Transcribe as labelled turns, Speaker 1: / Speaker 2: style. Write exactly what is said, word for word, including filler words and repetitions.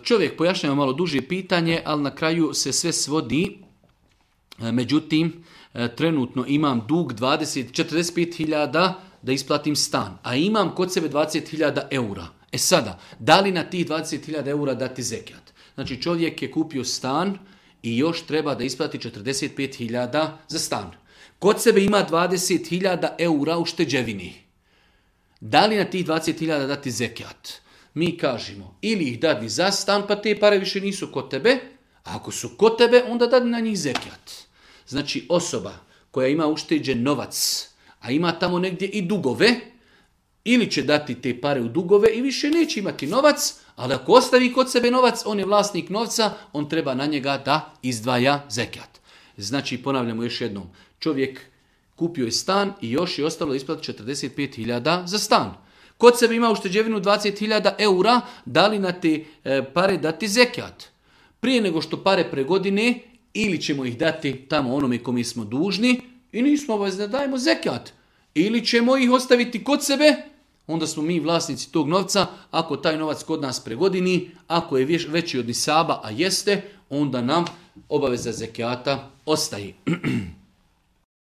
Speaker 1: Čovjek pojašnjava malo duže pitanje, ali na kraju se sve svodi. Međutim, trenutno imam dug dvadeset, četrdeset pet hiljada da isplatim stan, a imam kod sebe dvadeset hiljada eura. E sada, da li na tih dvadeset hiljada eura dati zekijat? Znači čovjek je kupio stan i još treba da isplati četrdeset pet hiljada za stan. Kod sebe ima dvadeset hiljada eura u šteđevini. Da li na tih dvadeset hiljada dati zekijat? Mi kažemo, ili ih dadi za stan, pa te pare više nisu kod tebe, a ako su kod tebe, onda dadi na njih zekijat. Znači osoba koja ima ušteđen novac, a ima tamo negdje i dugove, ili će dati te pare u dugove i više neće imati novac, ali ako ostavi kod sebe novac, on je vlasnik novca, on treba na njega da izdvaja zekijat. Znači, ponavljamo još jednom, čovjek kupio je stan i još je ostalo isplati četrdeset pet hiljada za stan. Kod sebe ima ušteđevinu dvadeset hiljada eura, da li na te e, pare dati zekijat? Prije nego što pare pregodine, ili ćemo ih dati tamo onome kome smo dužni i nismo obavezni da dajemo zekijat. Ili ćemo ih ostaviti kod sebe, onda smo mi vlasnici tog novca, ako taj novac kod nas pregodini, ako je veći od nisaba, a jeste, onda nam obaveza zekijata ostaje.